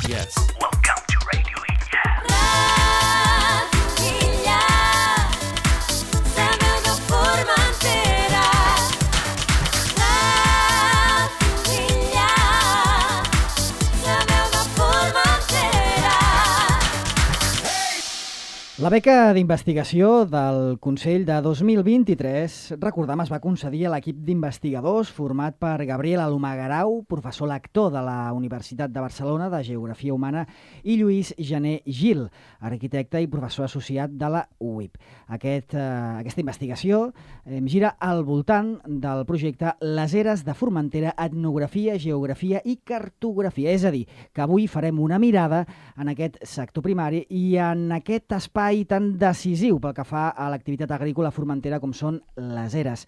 Yes. Welcome to Radio Illa. Radio Illa, la veu de Formentera. Radio Illa, la veu de Formentera. La beca d'investigació del Consell de 2023, recordem, es va concedir a l'equip d'investigadors format per Gabriel Alomar-Garau, professor lector de la Universitat de Barcelona de Geografia Humana, i Lluís Gené Gil, arquitecte i professor associat de la UIP. Aquesta investigació gira al voltant del projecte Les Eres de Formentera, etnografia, geografia i cartografia. És a dir, que avui farem una mirada en aquest sector primari i en aquest espai tan decisiu pel que fa a l'activitat agrícola formentera com són les eres.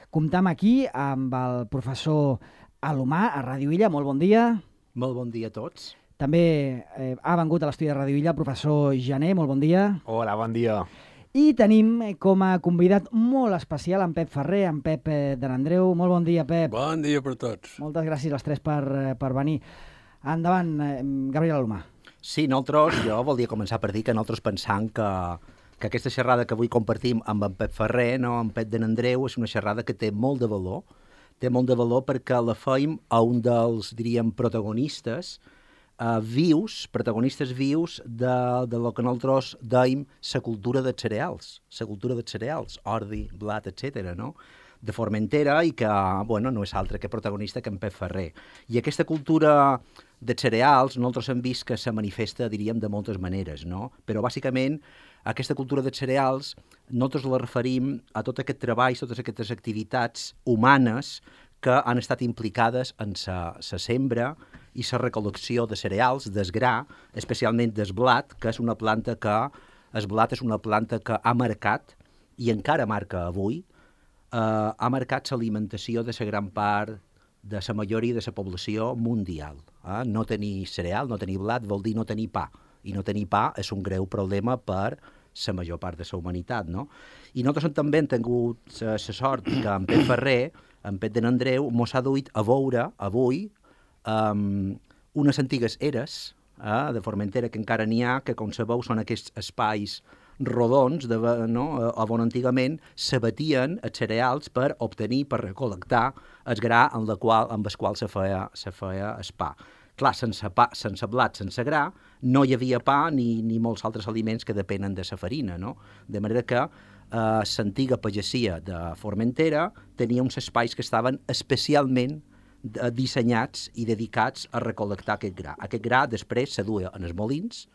Comptam aquí amb el professor Alomar a Ràdio Illa. Molt bon dia. Molt bon dia a tots. També ha vengut a l'estudi de Ràdio Illa el professor Gené. Molt bon dia. Hola, bon dia. I tenim com a convidat molt especial en Pep Ferrer, en Pep de n'Andreu. Molt bon dia, Pep. Bon dia per tots. Moltes gràcies als tres per venir. Endavant, Gabriel Alomar. Sí, jo volia començar per dir que nosaltres pensam que aquesta xerrada que avui compartim amb en Pep Ferrer, no, amb Pep de n'Andreu, és una xerrada que té molt de valor. Té molt de valor perquè la feim a un dels, diríem, protagonistes vius de lo que nosaltres deim la cultura dels cereals, ordi, blat, etc., no? De Formentera, i que, bueno, no és altre que protagonista que en Pep Ferrer. I aquesta cultura de cereals, nosaltres hem vist que se manifesta, diríem, de moltes maneres, no? Però, bàsicament, aquesta cultura de cereals, nosaltres la referim a tot aquest treball, totes aquestes activitats humanes que han estat implicades en la sembra i la recol·lecció de cereals, del gra, especialment del blat, que és una planta que ha marcat, i encara marca avui, ha marcat l'alimentació de la gran part de la majoria de la població mundial. No tenir cereal, no tenir blat, vol dir no tenir pa. I no tenir pa és un greu problema per la major part de la humanitat, no? I nosaltres també hem tingut la sort que en Pep Ferrer, en Pep de n'Andreu, mos ha duit a veure avui unes antigues eres de Formentera, que encara n'hi ha, que com sabeu són aquests espais rodons, on antigament s'abatien els cereals per obtenir, per recol·lectar el gra amb el qual se feia el pa. Clar, sense blat, sense gra, no hi havia pa ni molts altres aliments que depenen de la farina, no? De manera que l'antiga pagesia de Formentera tenia uns espais que estaven especialment dissenyats i dedicats a recol·lectar aquest gra. Aquest gra després se duia en els molins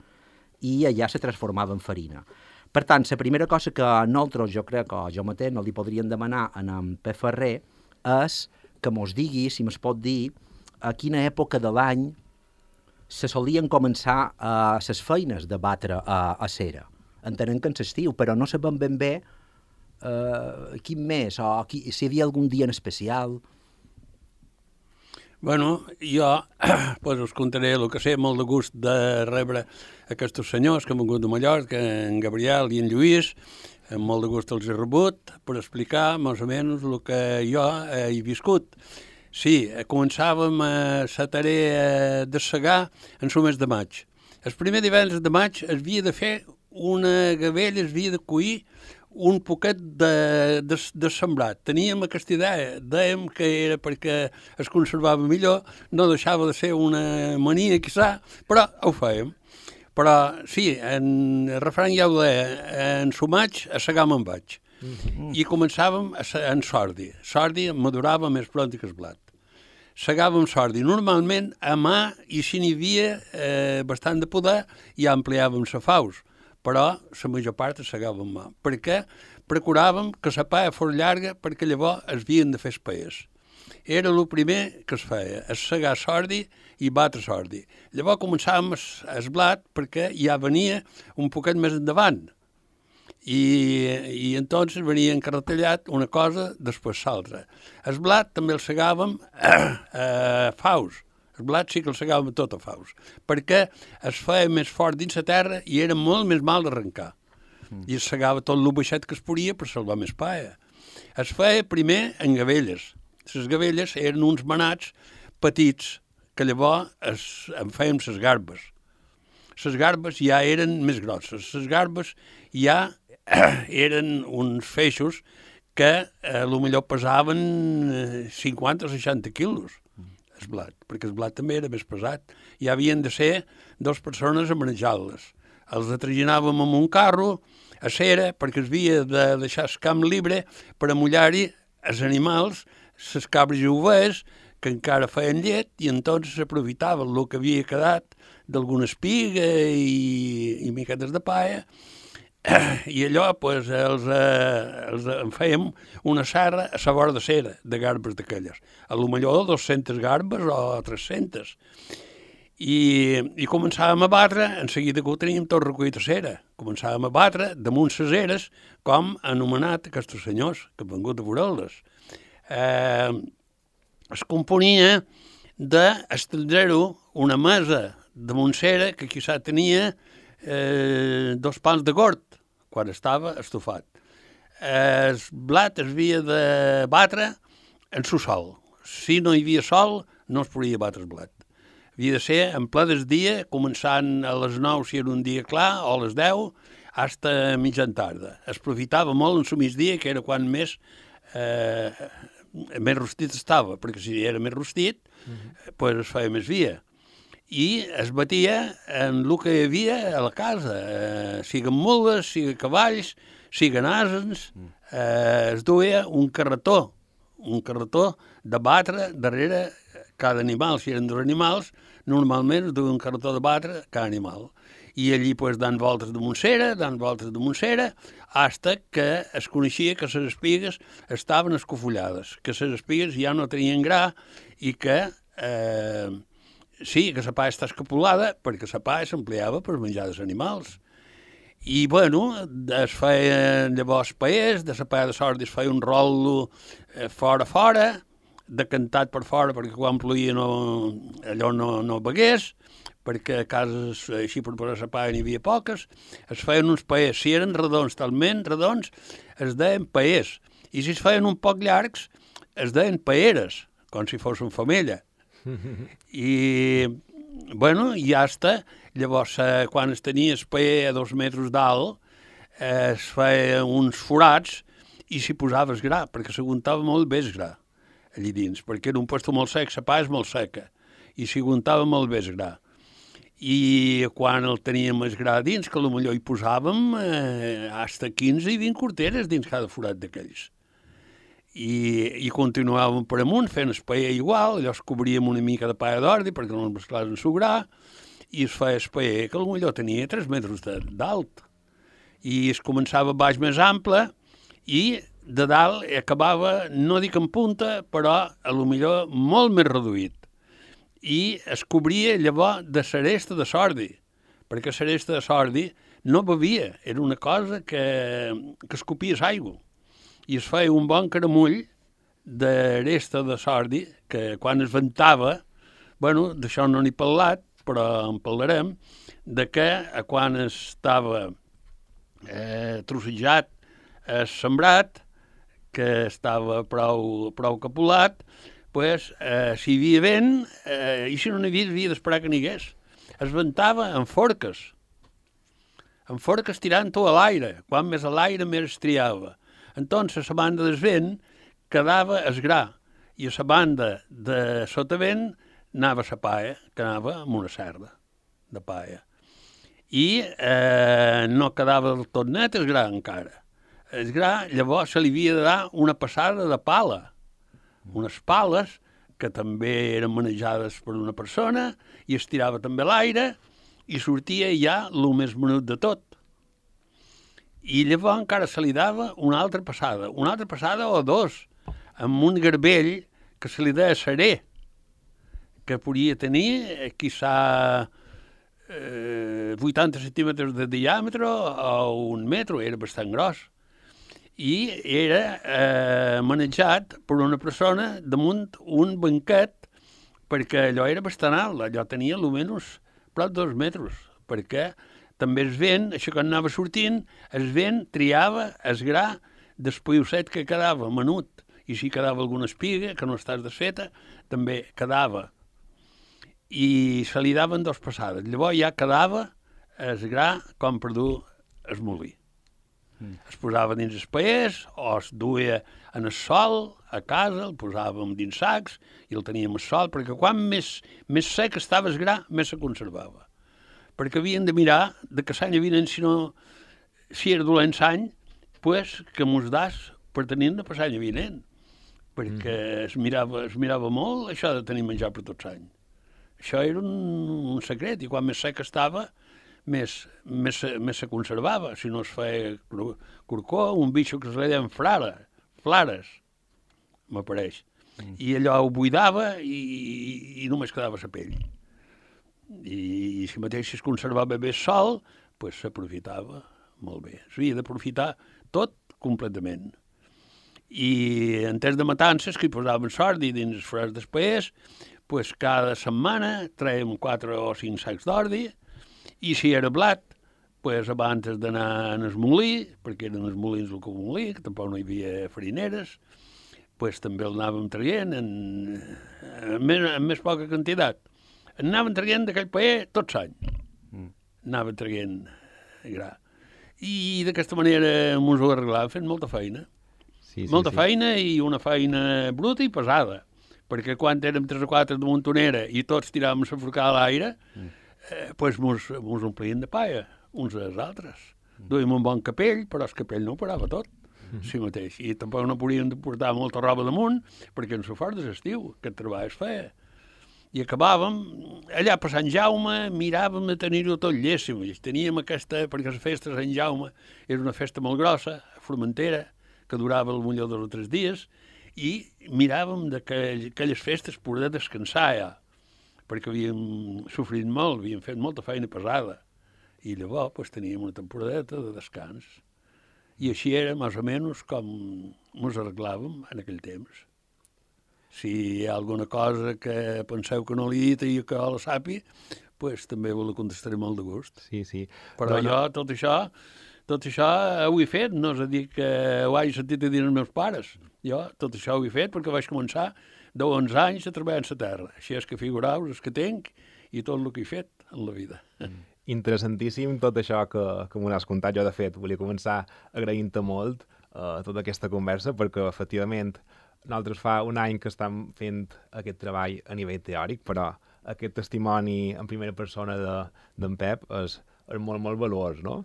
i allà se transformava en farina. Per tant, la primera cosa que nosaltres, jo crec que jo mateix no li podríem demanar a en Pep Ferrer és que mos digui, si mos pot dir, a quina època de l'any se solien començar les feines de batre a cera. Entenem que en l'estiu, però no sabem ben bé quin mes, o si hi havia algun dia en especial. Bueno, jo pues, us contaré el que sé, molt de gust de rebre aquests senyors que han vingut de Mallorca, en Gabriel i en Lluís, amb molt de gust els he rebut per explicar més o menys el que jo he viscut. Sí, començàvem la tarea de segar en el mes de maig. El primer divendres de maig es havia de fer una gavella, es havia de cuir un poquet de sembrat. Teníem aquesta idea, dèiem que era perquè es conservava millor, no deixava de ser una mania, quizà, però ho fèiem. Però sí, en el refrany ja ho deia, en su maig a segar me'n vaig. I començàvem en sordi. Sordi madurava més pront que el blat. Segàvem sordi. Normalment a mà, i si n'hi havia bastant de poder, ja ampliàvem la faus, però la major part es segàvem mà. Perquè procuràvem que la paia fos llarga perquè llavors es havien de fer els paers. Era el primer que es feia, es segar sordi i batre sordi. Llavors començàvem el blat perquè ja venia un poquet més endavant. I entonces venia encarretellat una cosa després l'altra. El blat també el segàvem a faus. El blat sí que el segàvem tot a faus, perquè es feia més fort dins la terra i era molt més mal d'arrencar. I es segava tot el baixet que es podia per salvar més paia. Es feia primer en gavelles. Les gavelles eren uns manats petits que llavors en fèiem les garbes. Les garbes ja eren més grosses. Les garbes ja eren uns feixos que potser pesaven 50 o 60 quilos, el blat, perquè el blat també era més pesat. I havien de ser 2 persones a manejar-les. Els atraginàvem amb un carro a cera, perquè es havia de deixar el camp libre per amullar-hi els animals, les cabres i ovelles, que encara feien llet, i entonces s'aprofitaven el que havia quedat d'alguna espiga i miquetes de paia, i allò pues, en fèiem una serra a la vora de cera, de garbes d'aquelles. A lo millor 200 garbes o 300. I començàvem a batre, en seguida que ho teníem tot recollit a cera. Començàvem a batre damunt les eres, com han anomenat aquests senyors que han vingut a veure-les. Es componia d'estendre-ho una mesa de Montsera que quizà tenia 2 pals de gord quan estava estofat. El blat es havia de batre en el sol. Si no hi havia sol, no es podia batre el blat. Havia de ser en ple del dia, començant a les 9 si era un dia clar, o a les 10, fins a mitjan tarda. Es aprofitava molt en el migdia, que era quan més rostit estava, perquè si era més rostit, pues es feia més via. I es batia en el que hi havia a la casa, siguen mules, siguen cavalls, siguen asens, es duia un carretó de batre darrere cada animal. Si eren 2 animals, normalment es duia un carretó de batre cada animal. I allí pues, dan voltes de Montsera, hasta que es coneixia que les espigues estaven escofollades, que les espigues ja no tenien gra i que sí, que la palla està escapulada perquè la palla s'empleava per menjar els animals. I, bueno, es feien llavors paers, de la palla de sordi es feia un rol fora, decantat per fora perquè quan ploïa allò no begués, perquè a cases així per posar la palla n'hi havia poques, es feien uns paers. Si eren redons, talment redons, es deien paers. I si es feien un poc llargs, es deien paeres, com si fos una femella. I, bueno, i ja està. Llavors, quan es tenia el paer a 2 metres d'alt, es feien uns forats i s'hi posaves gra, perquè s'aguantava molt bé el gra allí dins, perquè era un puesto molt sec, la palla és molt seca, i s'hi aguantava molt bé el gra. I quan el teníem el gra dins, que potser hi posàvem fins a 15 i 20 corteres dins cada forat d'aquells. I continuàvem per amunt fent el paer igual, llavors cobríem una mica de palla d'ordi perquè no es mesclés en el gra, i es feia el paer que potser tenia 3 metres d'alt. I es començava baix més ample i de dalt acabava, no dic en punta, però potser molt més reduït. I es cobria llavors de l'aresta de sordi, perquè l'aresta de sordi no bevia, era una cosa que escopies aigua. I es feia un bon caramull d'aresta de sordi, que quan es ventava, bueno, d'això no n'he parlat, però en parlarem, de que quan estava trossejat, sembrat, que estava prou capulat, pues, si hi havia vent, i si no n'hi havia d'esperar que n'hi hagués. Es ventava en forques tirant-ho a l'aire. Quan més a l'aire, més es triava. Entonces, a la banda del vent quedava el gra, i a la banda de sotavent anava la palla, que anava amb una serra de palla. I no quedava del tot net el gra encara. El gra, llavors, se li havia de dar una passada de pala, unes pales que també eren manejades per una persona i es tirava també a l'aire i sortia ja el més menut de tot. I llavors encara se li dava una altra passada o 2, amb un garbell que se li deia serè, que podia tenir, quizà, 80 centímetres de diàmetre o 1 metre, era bastant gros. I era manejat per una persona damunt un banquet, perquè allò era bastant alt, allò tenia almenys prop de 2 metres, perquè també el vent, això que anava sortint, el vent triava el gra d'espaiosset que quedava menut, i si quedava alguna espiga, que no estàs desfeta, també quedava. i se li daven 2 passades. Llavors ja quedava el gra com per dur el molí. Es posava dins els paers o es duia en el sol a casa, el posàvem dins sacs i el teníem al sol, perquè quan més sec estava el gra, més se conservava. Perquè havien de mirar de que l'any vinent, si era dolent l'any, pues, que mos das per tenir-ne per l'any vinent. Perquè es mirava molt això de tenir menjar per tot l'any. Això era un secret, i quan més sec estava, més se conservava. Si no es feia corcó, un bitxo que es deien flares, m'apareix. I allò ho buidava i només quedava la pell. I si mateix es conservava bé el sol, pues s'aprofitava molt bé. S'havia d'aprofitar tot completament. I en temps de matances, que hi posàvem sordi dins els freds dels paers, pues cada setmana traiem 4 o 5 sacs d'ordi, i si era blat, pues abans d'anar en el molí, perquè eren els molins del molí, que tampoc no hi havia farineres, pues també el anàvem traient en més poca quantitat. Anàvem traient d'aquell paer tot l'any. Anàvem traient gra. I d'aquesta manera ens ho arreglàvem fent molta feina. Molta feina i una feina bruta i pesada. Perquè quan érem 3 o 4 de montonera i tots tiràvem la forcada a l'aire, pues mos omplien de paia, uns als altres. Duíem un bon capell, però el capell no ho parava tot, si mateix. I tampoc no podíem portar molta roba damunt, perquè en sofort de l'estiu, aquest treball es feia. I acabàvem, allà per Sant Jaume, miràvem de tenir-ho tot llessim. Teníem aquesta, perquè la festa de Sant Jaume era una festa molt grossa, Formentera, que durava potser 2 o 3 dies, i miràvem d'aquelles festes poder descansar ja, perquè havíem sofrit molt, havíem fet molta feina pesada. I llavors pues, teníem una temporadeta de descans. I així era, més o menys, com ens arreglàvem en aquell temps. Si hi ha alguna cosa que penseu que no l'he dit i que la sapi, pues, també ho la contestaré molt de gust. Sí. Però jo tot això ho he fet, no és a dir que ho hagi sentit a dir els meus pares. Jo tot això ho he fet perquè vaig començar de 11 anys a treballar en la terra. Així és que figureu els que tinc i tot el que he fet en la vida. Interessantíssim tot això que m'ho has contat. Jo, de fet, volia començar agraint-te molt tota aquesta conversa, perquè, efectivament, nosaltres fa un any que estem fent aquest treball a nivell teòric, però aquest testimoni en primera persona d'en Pep és molt, molt valuós, no?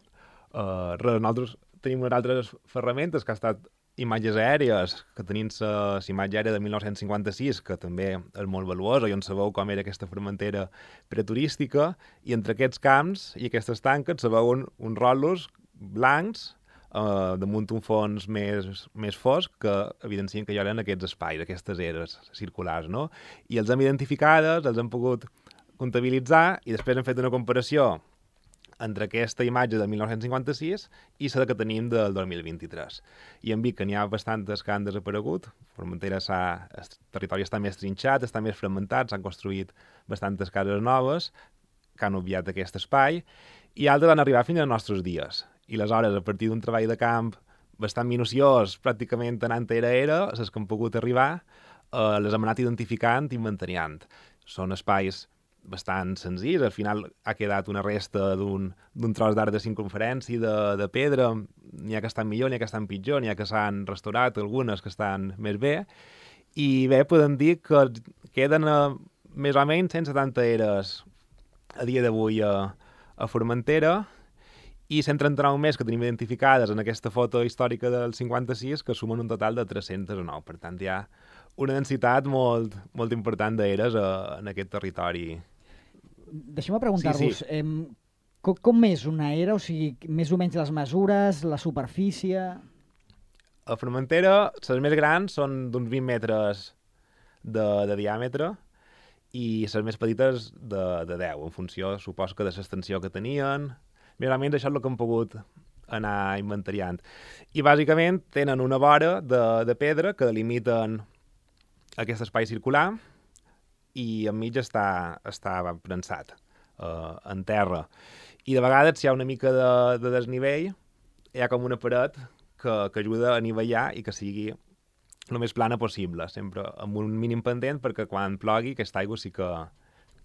Nosaltres tenim unes altres ferramentes que ha estat imatges aèries, que tenim la imatge aèria de 1956, que també és molt valuosa, i on sabeu com era aquesta Formentera preturística, i entre aquests camps i aquestes tanques se veuen uns rotllos blancs damunt un fons més fosc que evidencien que hi eren aquests espais, aquestes eres circulars, no? I els hem identificades, els hem pogut comptabilitzar i després hem fet una comparació entre aquesta imatge de 1956 i la que tenim del 2023. I hem vist que n'hi ha bastantes que han desaparegut. Formentera el territori està més trinxat, està més fragmentat, s'han construït bastantes cases noves que han obviat aquest espai, i altres han arribat fins als nostres dies. I aleshores, a partir d'un treball de camp bastant minuciós, pràcticament anant era, les que han pogut arribar, les hem anat identificant i inventariant. Són espais bastant senzills, al final ha quedat una resta d'un tros d'arc de circunferència de pedra, n'hi ha que estan millor, n'hi ha que estan pitjor, n'hi ha que s'han restaurat, algunes que estan més bé, i bé, podem dir que queden més o menys 170 eres a dia d'avui a Formentera, i 139 més que tenim identificades en aquesta foto històrica del 56, que sumen un total de 309. Per tant, hi ha una densitat molt, molt important d'eres en aquest territori. Deixeu-me preguntar-vos, Sí. com és una era? O sigui, més o menys les mesures, la superfície... A Formentera, les més grans són d'uns 20 metres de diàmetre i les més petites de 10, en funció, suposo que de l'extensió que tenien. Més o menys això és el que hem pogut anar inventariant. I bàsicament tenen una vora de pedra que delimiten aquest espai circular i enmig està prensat en terra. I de vegades, si hi ha una mica de desnivell, hi ha com una paret que ajuda a anivellar i que sigui el més plana possible, sempre amb un mínim pendent, perquè quan plogui aquesta aigua sí que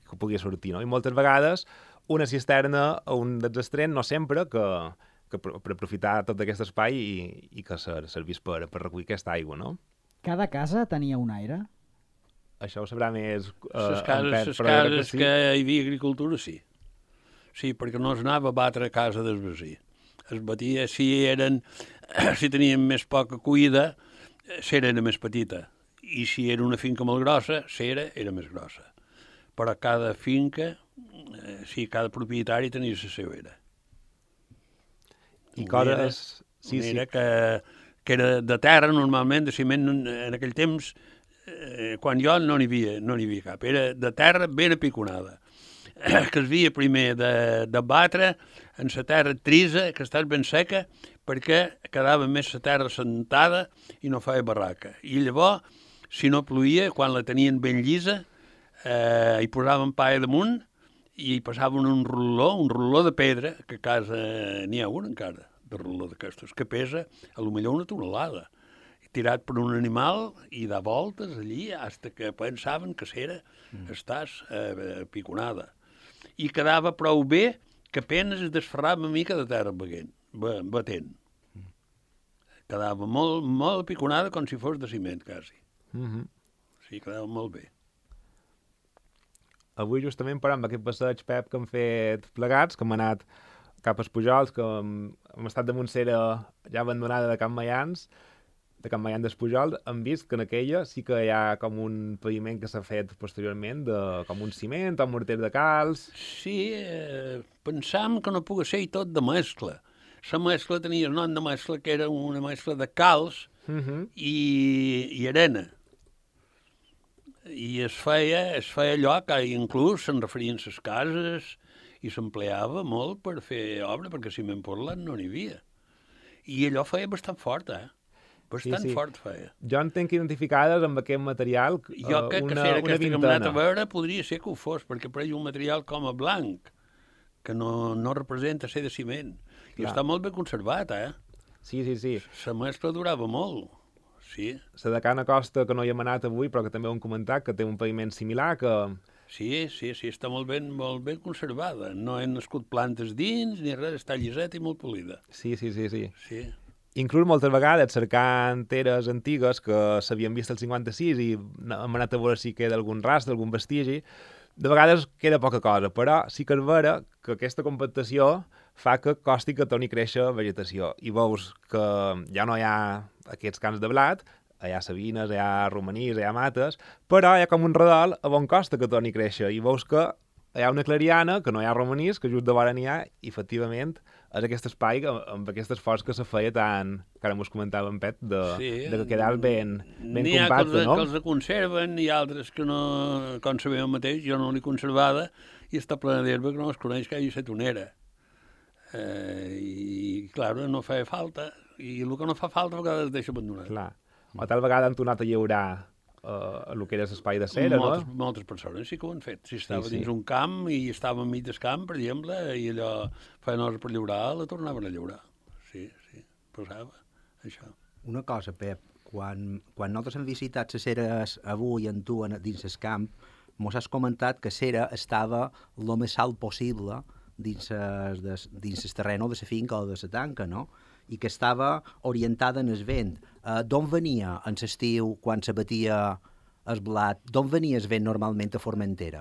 que podia sortir, no? I moltes vegades una cisterna a un dels extrems, no sempre, que per aprofitar tot aquest espai i que servís per recollir aquesta aigua, no? Cada casa tenia un aire? Això ho sabrà més Les en Pep, cases, però jo crec que hi havia agricultura, sí. Sí, perquè no es anava a batre a casa del vecí. Es batia, si tenien més poca cuida, l'era era més petita. I si era una finca molt grossa, l'era era més grossa. Però cada finca, cada propietari tenia la seva era. I coses... Sí. Que era de terra, normalment, de ciment, en aquell temps, quan jo no n'hi havia cap. Era de terra ben apiconada, que es havia primer de batre en la terra trisa, que estàs ben seca, perquè quedava més la terra sentada i no feia barraca. I llavors, si no plovia, quan la tenien ben llisa, hi posaven paia damunt i hi passaven un ruló de pedra, que a casa n'hi ha un encara, de ruló d'aquestos, que pesa a lo millor una tonelada, tirat per un animal i de voltes allí, fins que pensaven que s'era estàs piconada. I quedava prou bé que apenas es desferrava una mica de terra batent. Quedava molt piconada com si fos de ciment, quasi. Sí, quedava molt bé. Avui justament parlant d'aquest passeig, Pep, que hem fet plegats, que hem anat cap als Pujols, que hem estat damunt cera ja abandonada de Can Maians, de Can Maians dels Pujols, hem vist que en aquella sí que hi ha com un paviment que s'ha fet posteriorment, com un ciment, un morter de calç... Sí, pensam que no pugui ser tot de mescla. La mescla tenia el nom de mescla, que era una mescla de calç i arena. I es feia allò que inclús se'n referien les cases i s'empleava molt per fer obra, perquè ciment portland no n'hi havia. I allò feia bastant fort, Bastant fort feia. Jo en tenc identificades amb aquest material jo crec que ser aquesta que hem anat a veure podria ser que ho fos, perquè per ell un material com a blanc, que no representa ser de ciment. I està molt ben conservat, Sí. La mescla durava molt, sí. La de Can Acosta, que no hi hem anat avui, però que també ho hem comentat, que té un paviment similar, que... Sí, està molt ben conservada. No he nascut plantes dins, ni res, està lliseta i molt polida. Sí. Sí. Inclús moltes vegades cercant teres antigues que s'havien vist el 56 i hem anat a veure si queda algun rastre, algun vestigi. De vegades queda poca cosa, però sí que és vera que aquesta compactació fa que costi que torni a créixer vegetació. I veus que ja no hi ha aquests camps de blat, hi ha sabines, hi ha romanís, hi ha mates, però hi ha com un redol a on costa que torni a créixer. I veus que hi ha una clariana, que no hi ha romanís, que just de vora n'hi ha, i efectivament és aquest espai amb aquest esforç que se feia tant, que ara mos comentava en Pep, de que quedava ben compacte, no? N'hi ha que els conserven, i altres que no, com sabeu mateix, jo no l'he conservada, i està plena d'herba que no es coneix que hi hagi set onera. I, clar, no feia falta, i el que no fa falta a vegades es deixa abandonat. Clar. O tal vegada han tornat a lliurar el que era l'espai de cera, no? Moltes persones sí que ho han fet. Si estava dins un camp i estava enmig del camp, per exemple, i allò feien hores per lliurar, la tornaven a lliurar. Sí, passava això. Una cosa, Pep, quan nosaltres hem visitat les ceres avui en tu dins el camp, mos has comentat que cera estava el més alt possible dins el terreny de la finca o de la tanca, no? I que estava orientada en el vent. D'on venia en l'estiu, quan se batia el blat, d'on venia el vent normalment a Formentera?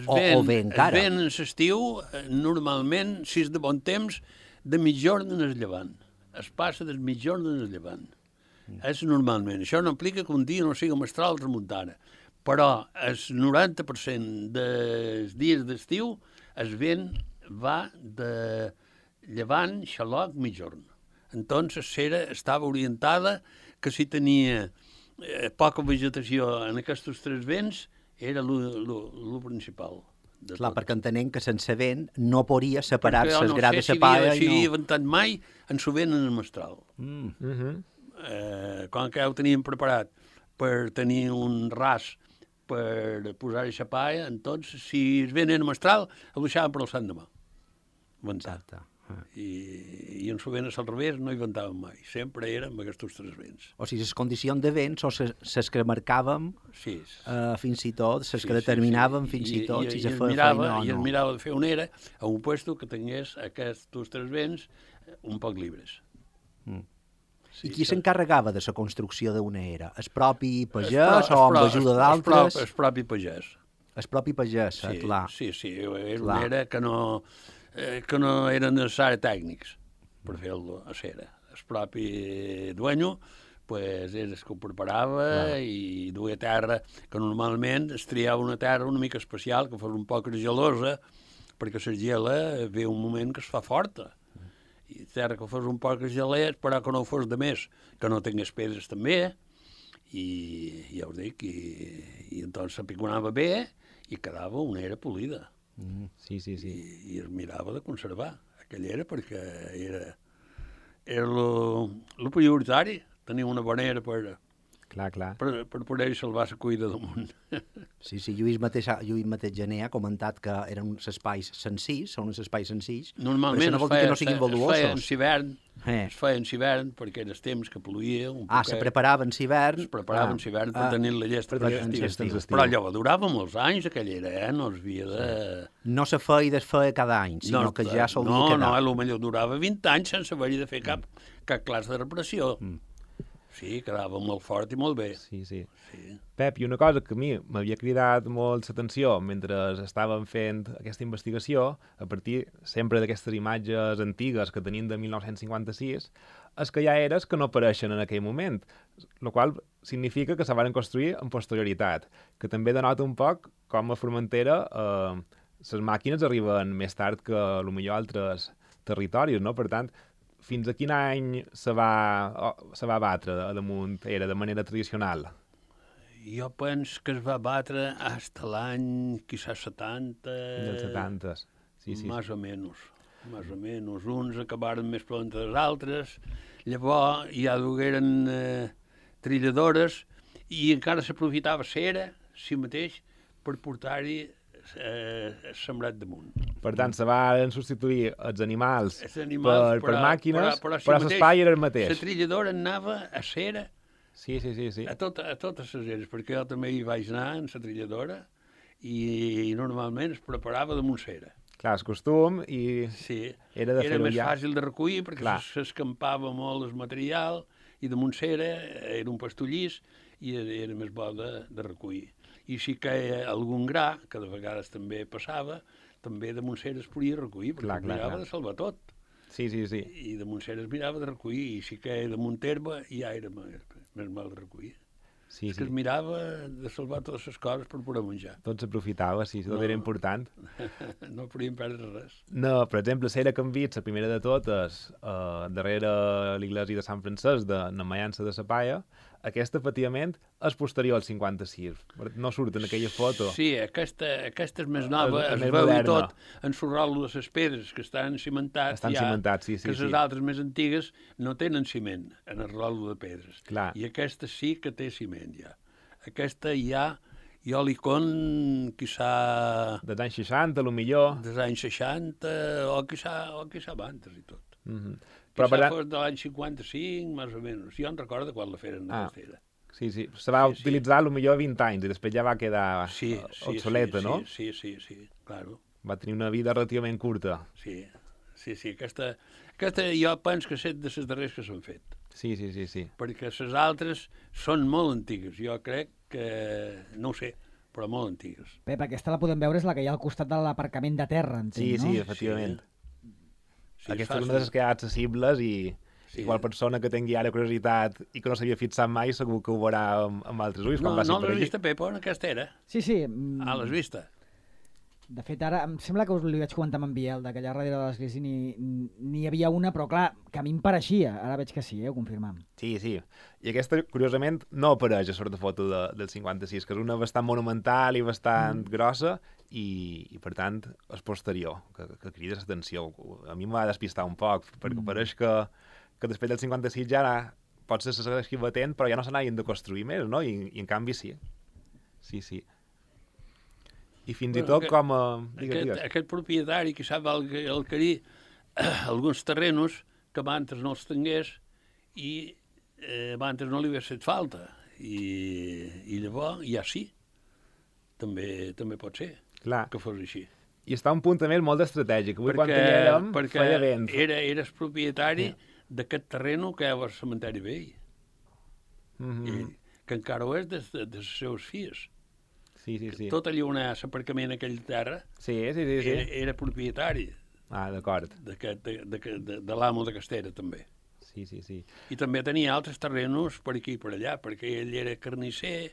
O bé encara? El vent en l'estiu, normalment, si és de bon temps, de mitjorn en el llevant. Es passa del mitjorn en el llevant. És normalment. Això no implica que un dia no sigui mestral o tramuntana. Però el 90% dels dies d'estiu el vent va de llevant, xaloc, mitjorn. Entonces, cera estava orientada que si tenia poca vegetació en aquests tres vents, era el principal. Clar, perquè entenem que sense vent no podria separar-se el gra de la palla. Si havia ventat mai, en s'ho ven en el mestral. Quan que ja ho teníem preparat per tenir un ras per posar-hi la palla, doncs, si es ven en el mestral, el deixàvem per al sant demà. Exacte. I en sovint al revés no inventàvem mai. Sempre érem aquests tres vents. O sigui, les condicions de vents o les que marcàvem Sí. fins i tot, les que determinàvem fins i tot si se feia feina o I es no. mirava de fer una era a un puesto que tingués aquests tres vents un poc llibres. I qui s'encarregava de la construcció d'una era? El propi pagès o amb ajuda d'altres? El propi pagès. El propi pagès, clar. Sí, era una era que no eren necessaris tècnics per fer-lo a cera. El propi dueño pues, és el que ho preparava i duia terra, que normalment es triava una terra una mica especial, que fos un poc gelosa, perquè la gela ve un moment que es fa forta. I terra que fos un poc gelés, però que no fos de més, que no tingués pedres també, i ja us dic, i entonces s'apiconava bé i quedava una era polida. Sí. I es mirava de conservar aquella era perquè era lo prioritari, tenir una bona era per poder salvar la cuida damunt. Sí, Lluís mateix Gené ha comentat que eren uns espais senzills, són uns espais senzills, Normalment però això no vol dir que no siguin valuosos. Es feien hivern perquè era el temps que ploïa un poquet. Se preparaven l'hivern. Es preparaven l'hivern per tenir la llesta per l'estiu. Però allò durava molts anys, aquella era, no es havia de... No se feia i desfeia cada any, sinó que ja solia quedar. No, potser durava 20 anys sense haver-hi de fer cap classe de reparació. Sí, quedava molt fort i molt bé. Sí. Pep, i una cosa que a mi m'havia cridat molt l'atenció mentre estàvem fent aquesta investigació, a partir sempre d'aquestes imatges antigues que tenim de 1956, és que hi ha eres que no apareixen en aquell moment, el qual significa que se van construir en posterioritat, que també denota un poc com a Formentera les màquines arriben més tard que potser altres territoris, no? Per tant, fins a quin any se va batre damunt era de manera tradicional? Jo penso que es va batre fins l'any, quizás 70... Fins als 70, sí. Más o menos. Uns acabaren més pront dels altres, llavors ja dugueren trilladores i encara s'aprofitava cera, si mateix, per portar-hi sembrat damunt. Per tant, se van substituir els animals per màquines, però l'espai era el mateix. La trilladora anava a cera Sí. a totes les eres, perquè jo també hi vaig anar en la trilladora i normalment es preparava damunt cera. Clar, el costum i era de fer-ho més ja. fàcil de recollir perquè s'escampava molt el material i damunt cera era un pastollís i era més bo de recollir. I si caia algun gra, que de vegades també passava, també damunt cera es podia recollir, perquè es mirava de salvar tot. Sí. I damunt cera es mirava de recollir, i si caia damunt herba ja era més mal de recollir. És que es mirava de salvar totes les coses per poder menjar. Tot s'aprofitava, tot era important. No podíem perdre res. No, per exemple, Cera Canvits, la primera de totes, darrere l'església de Sant Francesc, de Namallança de Sapaia, aquesta, efectivament, és posterior al 56. No surt en aquella foto. Sí, aquesta és més nova, es veu i tot en l'orrol de les pedres que estan cimentats. Estan cimentats, sí. Que les altres més antigues no tenen ciment en el rol de pedres. Clar. I aquesta sí que té ciment, ja. Aquesta ja, jo li con, quizà... Dels anys 60, potser. Dels anys 60, o quizà abans i tot. Però quizà fos de l'any 55, més o menys. Jo en recordo quan la feren aquesta era. Sí. Se va utilitzar potser 20 anys i després ja va quedar obsoleta, no? Sí, claro. Va tenir una vida relativament curta. Sí. Aquesta jo penso que és de les darreres que s'han fet. Sí. Perquè les altres són molt antigues. Jo crec que, no ho sé, però molt antigues. Pep, aquesta la podem veure, és la que hi ha al costat de l'aparcament de terra, entenc, no? Sí, efectivament. Aquesta és una de les que hi ha accessibles i qual persona que tingui ara curiositat i que no s'havia fixat mai segur que ho veurà amb altres ulls. No l'has vist, Pepo, en aquesta era? Sí. L'has vista? De fet, ara em sembla que us li vaig comentar amb en Biel, que allà darrere de l'església n'hi havia una, però clar, que a mi em pareixia. Ara veig que sí, ho confirmem. Sí. I aquesta, curiosament, no apareix a sort de foto del 56, que és una bastant monumental i bastant grossa i, per tant, és posterior, que crida l'atenció. A mi em va despistar un poc, perquè pareix que després del 56 ja potser se segueixi batent, però ja no se n'hagin de construir més, no? I en canvi sí. Sí. I fins i tot com a... Aquest propietari que sap el Carí alguns terrenos que abans no els tingués i abans no li hagués fet falta. I llavors ja sí, també pot ser Clar. que fos així. I està un punt també molt estratègic. Avui quan hi érem, feia vent. Eres propietari d'aquest terreno que hi ha al cementeri vell. Que encara ho és de les seus filles. Sí. Tot allà on hi ha l'aparcament a aquella terra Sí. era propietari Ah, d'acord. de l'amo de Castera, també. Sí. I també tenia altres terrenos per aquí i per allà, perquè ell era carnisser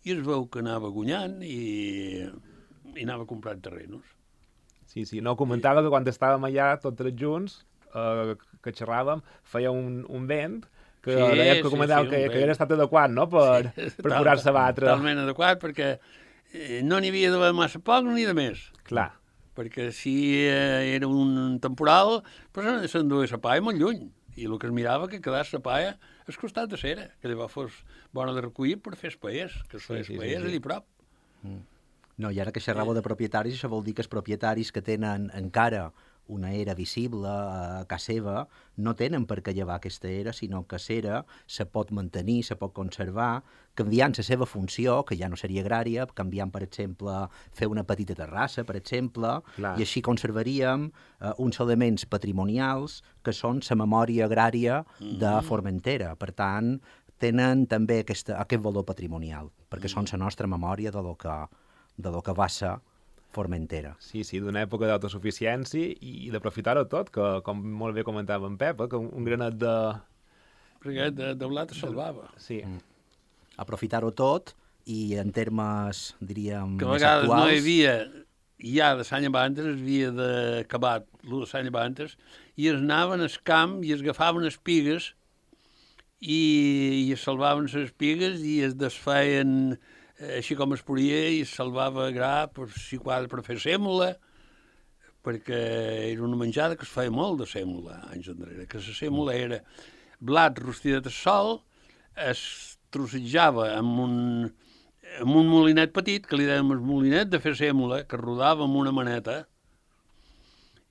i es veu que anava guanyant i anava comprant terrenos. Sí. No, comentava que quan estàvem allà tots junts, que xerràvem, feia un vent que deia que comentava que era estat adequat, no?, per curar-se a batre. Totalment adequat, perquè no n'hi havia de massa poc ni de més. Clar. Perquè si era un temporal, doncs s'enduia la paia molt lluny. I el que es mirava que quedés la paia al costat de cera, que llavors fos bona de recollir per fer espaiers, que es feia espaiers allà prop. No, i ara que xerràveu de propietaris, això vol dir que els propietaris que tenen encara una era visible a casa seva no tenen per què llevar aquesta era, sinó que l'era se pot mantenir, se pot conservar, canviant la seva funció, que ja no seria agrària, canviant, per exemple, fer una petita terrassa, per exemple, Clar. i així conservaríem uns elements patrimonials que són la memòria agrària de Formentera. Per tant, tenen també aquest valor patrimonial, perquè són la nostra memòria de lo que va ser Formentera. Sí, d'una època d'autosuficiència i d'aprofitar-ho tot, que com molt bé comentava en Pep, que un granet de... Perquè de blat es salvava. Sí. Aprofitar-ho tot i en termes, diríem, Que a més vegades actuals... no hi havia, ja de l'any abans es havia d'acabar el de l'any abans, i es anaven al camp i es agafaven espigues i es salvaven les espigues i es desfeien així com es podia i es salvava gra per fer sèmola, perquè era una menjada que es feia molt de sèmola anys enrere, que la sèmola era blat rostidet al sol, es trossejava amb un molinet petit, que li dèiem el molinet de fer sèmola, que rodava amb una maneta,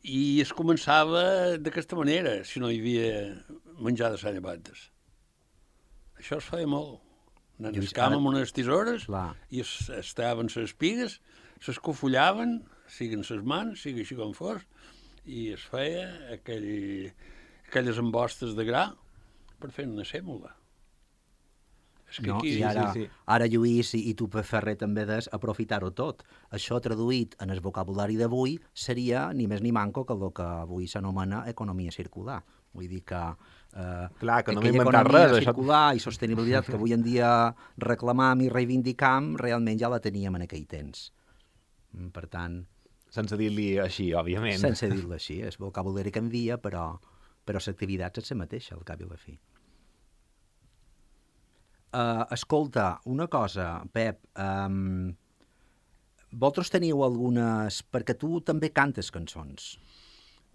i es començava d'aquesta manera, si no hi havia menjar de Sant Llevantes. Això es feia molt. Anant al camp amb unes tisores i es tallaven les espigues, s'escofollaven, siguin les mans, sigui així com fos, i es feia aquelles embostes de gra per fer una sèmola. És que No, aquí... i ara Lluís i tu, Ferrer, també des aprofitar-ho tot. Això traduït en el vocabulari d'avui seria ni més ni manco que el que avui s'anomena economia circular. Vull dir que Clar, que no m'he aquella inventat economia res, circular i sostenibilitat que avui en dia reclamam i reivindicam, realment ja la teníem en aquell temps. Per tant... Sense dir-li així, òbviament. Sense dir-lo així, el vocabulari canvia, però l'activitat és la mateixa, al cap i a la fi. Escolta, una cosa, Pep, vosaltres teniu algunes... Perquè tu també cantes cançons.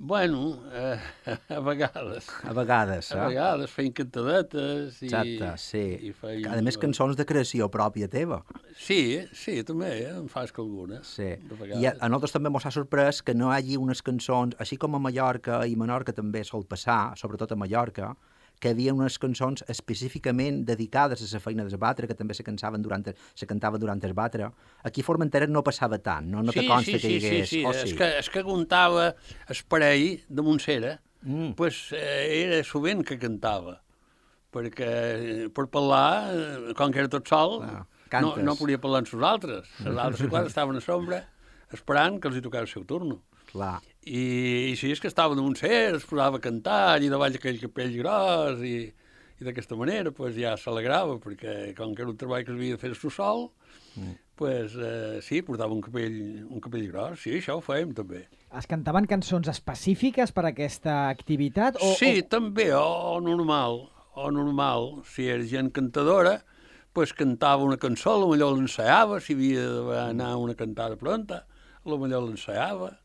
Bueno, a vegades. A vegades, A vegades feien cantadetes i... Exacte, sí. I feien... A més, cançons de creació pròpia teva. Sí, també, em fas que algunes. Sí. De I vegades. a nosaltres també ens ha sorprès que no hi hagi unes cançons, així com a Mallorca i Menorca també sol passar, sobretot a Mallorca, que hi havia unes cançons específicament dedicades a la feina del batre, que també se cantaven durant el batre. Aquí a Formentera no passava tant, no te consta que hi hagués... Sí. Oh, sí. És que contava el parell de Montsera, pues, era sovint que cantava, perquè per parlar, com que era tot sol, no podia parlar amb els altres. Els altres quan estaven a sombra esperant que els hi tocava el seu turno. Clar. I si és que estava de Montsera, es posava a cantar allà davall aquell capell gros i d'aquesta manera pues, ja s'alegrava, perquè com que era un treball que s'havia de fer el sol, pues, sí, portava un capell gros, sí, això ho fèiem també. Es cantaven cançons específiques per a aquesta activitat? Sí, també, o normal. Si era gent cantadora, pues cantava una cançó, potser l'ensaiava, si havia d'anar a una cantada pronta, potser l'ensaiava.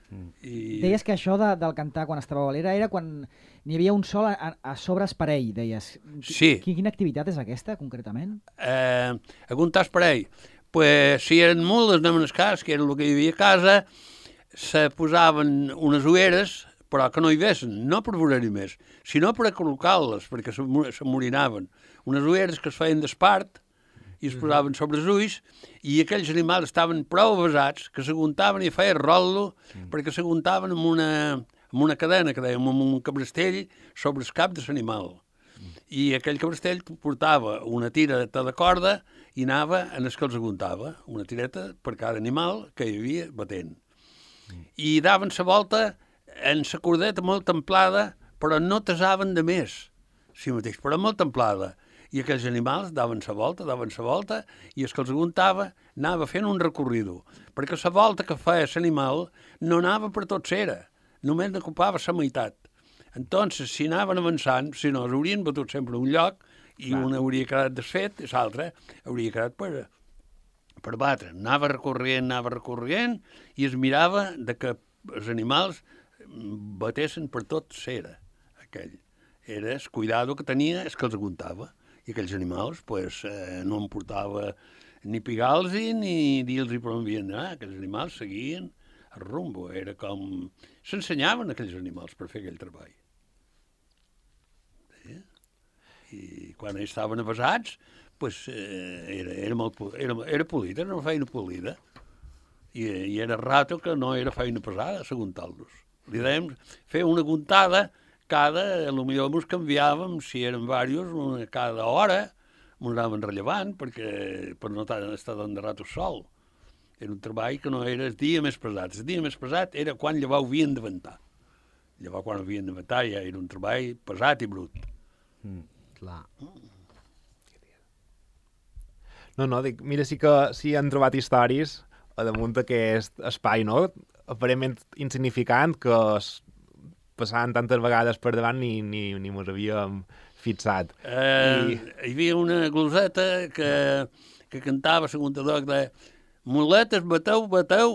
Deies que això del cantar quan estava a l'era era quan n'hi havia un sol a sobre el parell, deies. Sí. Quina activitat és aquesta, concretament? A comptar el parell. Pues, si eren mules, anaven al cas, que era el que hi havia a casa, se posaven unes ulleres però que no hi vessin, no per veure-hi més, sinó per a col·locar-les, perquè s'amorinaven. Unes ulleres que es feien d'espart i es posaven sobre els ulls, i aquells animals estaven prou avasats que s'aguntaven i feien rotllo perquè s'aguntaven amb una cadena, que dèiem, amb un cabrestell sobre el cap de l'animal. I aquell cabrestell portava una tireta de corda i anava en el que els aguntava, una tireta per cada animal que hi havia batent. I daven la volta en la cordeta molt templada, però no tasaven de més, si mateix, però molt templada. I aquells animals daven la volta, i el que els aguantava anava fent un recorrido, perquè la volta que feia l'animal no anava per tot cera, només n'ocupava la meitat. Entonces, si anaven avançant, si no, s'haurien batut sempre a un lloc, i un hauria quedat desfet, i l'altre hauria quedat per batre. Anava recorrent, i es mirava de que els animals batessin per tot cera, aquell. Era el cuidado que tenia el que els aguantava. I aquells animals no em portava ni pigar-los ni dir-los per on havien d'anar. Aquells animals seguien el rumbo. Era com... S'ensenyaven aquells animals per fer aquell treball. Sí? I quan ells estaven avasats, era polida, era una feina polida. I era rato que no era feina pesada, s'aguntar-los. Li dèiem fer una aguntada potser ens canviàvem, si eren diversos, cada hora, ens anaven rellevant, perquè per no estar tant de rato sol. Era un treball que no era el dia més pesat. El dia més pesat era quan llavors havien de ventar. Llavors, quan havien de ventar, ja era un treball pesat i brut. Clar. No, dic, mira, sí que han trobat històries a damunt d'aquest espai, no? Aparentment insignificant, que passaven tantes vegades per davant ni mos havíem fixat. Hi havia una gloseta que cantava, segons que deia: muletes, bateu,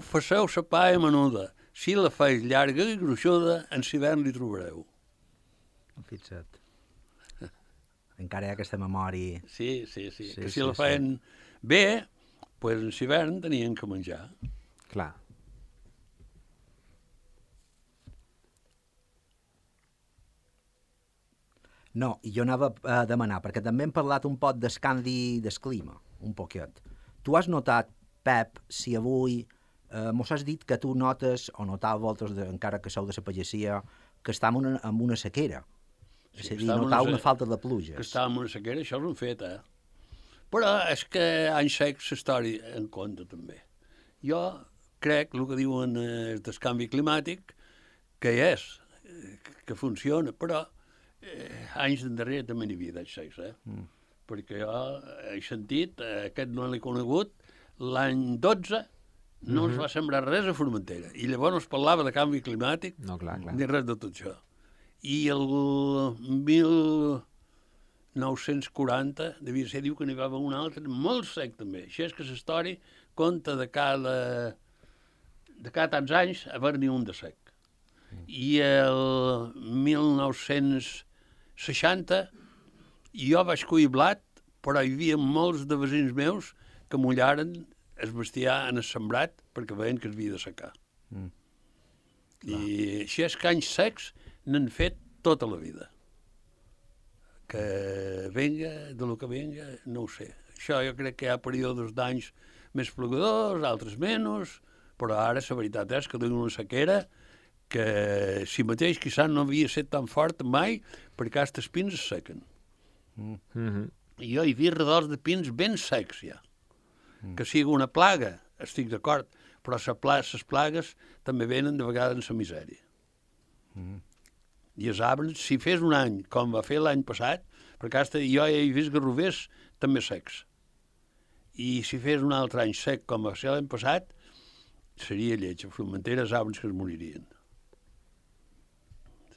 faceu sa paia menuda. Si la feis llarga i gruixuda, en l'hivern li trobareu. Fixa't. Encara hi ha aquesta memòria. Sí. Que si la feien bé, doncs en l'hivern tenien que menjar. Clar. No, i jo anava a demanar, perquè també hem parlat un poc del canvi del clima, un poquet. Tu has notat, Pep, si avui mos has dit que tu notes, o notàveu vosaltres, encara que sou de la pagesia, que estem en una sequera. És a dir, notàveu una falta de pluges. Que estàvem en una sequera, això és un fet, Però és que anys secs l'història en compte, també. Jo crec, el que diuen del canvi climàtic, que que funciona, però anys d'endarrere també n'hi havia d'anys secs, perquè jo he sentit, aquest no l'he conegut, l'any 12 no es va sembrar res a Formentera, i llavors no es parlava de canvi climàtic, ni res de tot això. I el 1940, devia ser, diu que n'hi va haver un altre, molt sec també. Això és que l'història compta de cada tants anys haver-n'hi un de sec. I el 1960 jo vaig collir blat, però hi havia molts de veïns meus que mullaren el bestiar en el sembrat perquè veien que es havia de secar. I així és que anys secs n'han fet tota la vida. Que venga, de lo que venga, no ho sé. Això jo crec que hi ha períodes d'anys més plogadors, altres menys, però ara la veritat és que tenim una sequera que si mateix quizás no havia estat tan fort mai perquè els pins es sequen. I jo hi havia redors de pins ben secs ja. Que sigui una plaga, estic d'acord, però les plagues també venen de vegades en la misèria. I els arbres, si fes un any, com va fer l'any passat, perquè jo he vist garrovers també secs, i si fes un altre any sec com va ser l'any passat, seria lleig. A Formentera els arbres que es moririen.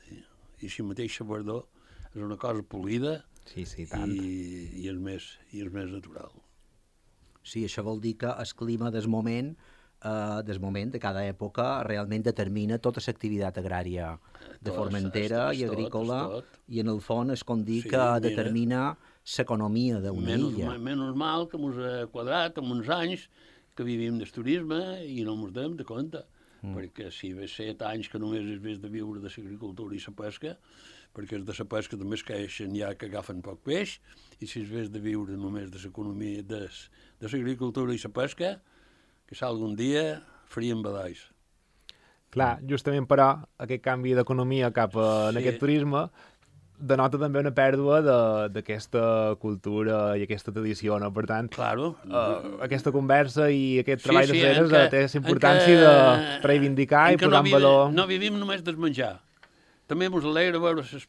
Sí. I si mateix la verdor és una cosa polida tant. i és més natural. Sí, això vol dir que el clima del moment de cada època realment determina tota l'activitat agrària de Formentera i agrícola, i en el fons és com dir que determina l'economia d'una illa. Menys mal que ens ha quadrat en uns anys que vivim del turisme i no ens donem de compte. perquè si ve 7 anys que només es vés de viure de l'agricultura i la pesca, perquè de la pesca també es queixen ja que agafen poc peix, i si es vés de viure només de l'economia, de l'agricultura i la pesca, que algun dia farien badalls. Clar, justament però aquest canvi d'economia cap a Sí. aquest turisme denota també una pèrdua d'aquesta cultura i aquesta tradició, no? Per tant, Claro. aquesta conversa i aquest treball de en ceres què- té la en importància què- de reivindicar en i què posar en valor. No vivim només del menjar. També ens alegra veure les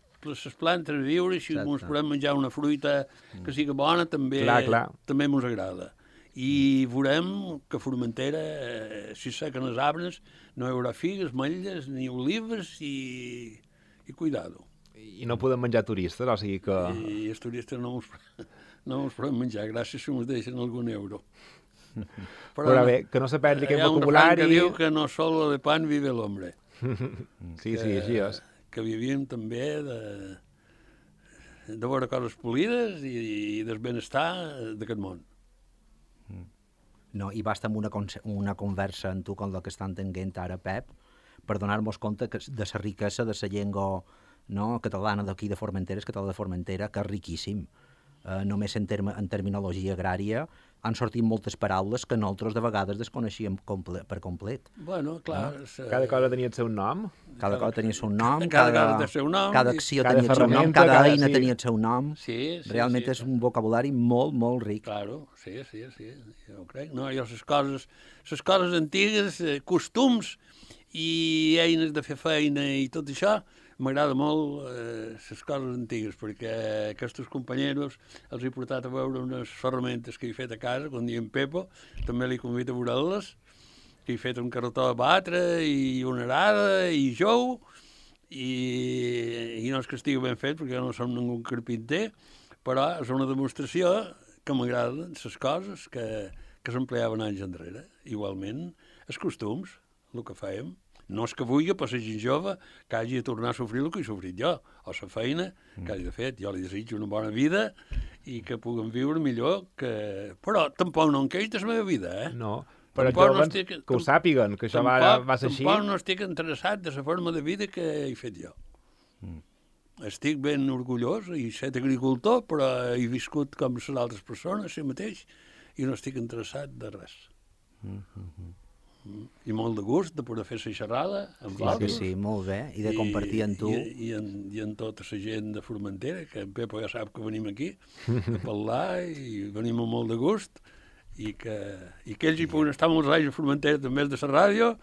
plantes viure, i si Exacte. ens podem menjar una fruita que sigui bona, també Clar. també ens agrada. I veurem que a Formentera, si sequen els arbres, no hi haurà figues, ametlles ni olives i cuidado. I no podem menjar turistes, o sigui que... I els turistes no ens podem menjar, gràcies si ens deixen algun euro. Però bé, que no se perdi aquest hi ha un refrany vocabulari. que diu que no solo de pan vive l'hombre. Sí, així és. Que vivim també de veure coses polides i del benestar d'aquest món. No, i basta amb una conversa amb tu com la que estan tenint ara, Pep, per donar-nos compte que de la riquesa de la llengua, no, catalana d'aquí de Formentera, és català de Formentera, que és riquíssim. Només en terminologia agrària han sortit moltes paraules que nosaltres de vegades desconeixíem per complet. Bueno, clar... Cada cosa tenia el seu nom. Cada cosa tenia el seu nom, Cada cosa té el seu nom, cada i- acció cada tenia el seu nom, ferramenta, cada cada- eina sí. tenia el seu nom. Sí, Realment és un vocabulari molt, molt ric. Claro, sí, jo ho crec. No, jo les coses antigues, costums i eines de fer feina i tot això, m'agrada molt les coses antigues, perquè aquests companyeros els he portat a veure unes ferramentes que he fet a casa, quan diem Pepo, també li convido a veure-les, que he fet un carretó de batre i una arada i jou, i no és que estigui ben fet, perquè jo no som ningú carpinter, però és una demostració que m'agraden les coses que s'empleaven anys enrere. Igualment, els costums, el que fèiem. No és que vulgui, per ser gent jove, que hagi de tornar a sofrir el que he sofrit jo, o la feina que hagi de fet. Jo li desitjo una bona vida i que puguem viure millor, però tampoc no em queix de la meva vida, eh? No, però Tampoc jo abans que ho sàpiguen, que això va ser així. Tampoc no estic interessat de la forma de vida que he fet jo. Estic ben orgullós i set agricultor, però he viscut com les altres persones, si mateix, i no estic interessat de res. I molt de gust de poder fer la xerrada amb Sí, vosaltres. sí, molt bé, i de compartir amb tu. I amb tota la gent de Formentera, que en Pepo ja sap que venim aquí a parlar i venim amb molt de gust, i que ells hi puguin estar molts anys a Formentera també des de la ràdio,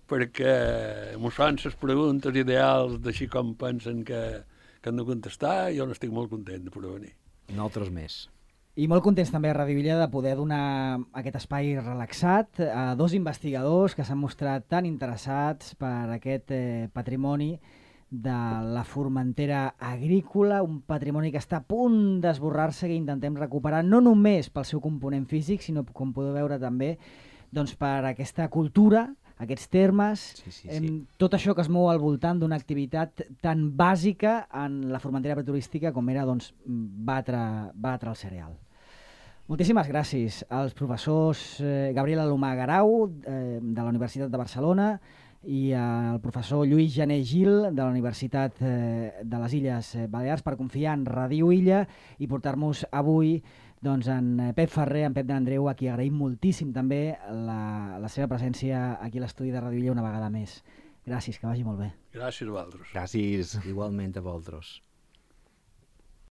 perquè mos fan les preguntes ideals d'així com pensen que han de contestar, i jo n'estic molt content de poder venir. Nosaltres més. I molt contents també a Ràdio Illa de poder donar aquest espai relaxat a dos investigadors que s'han mostrat tan interessats per aquest patrimoni de la Formentera agrícola, un patrimoni que està a punt d'esborrar-se, que intentem recuperar no només pel seu component físic, sinó, com podeu veure també, doncs per aquesta cultura, aquests termes, tot això que es mou al voltant d'una activitat tan bàsica en la Formentera preturística com era doncs, batre el cereal. Moltíssimes gràcies als professors Gabriel Alomar Garau, de la Universitat de Barcelona, i al professor Lluís Jané Gil, de la Universitat de les Illes Balears, per confiar en Ràdio Illa i portar-nos avui doncs, en Pep Ferrer, en Pep de l'Andreu, a qui agraïm moltíssim també la seva presència aquí a l'estudi de Ràdio Illa una vegada més. Gràcies, que vagi molt bé. Gràcies a vosaltres. Gràcies. Igualment a vosaltres.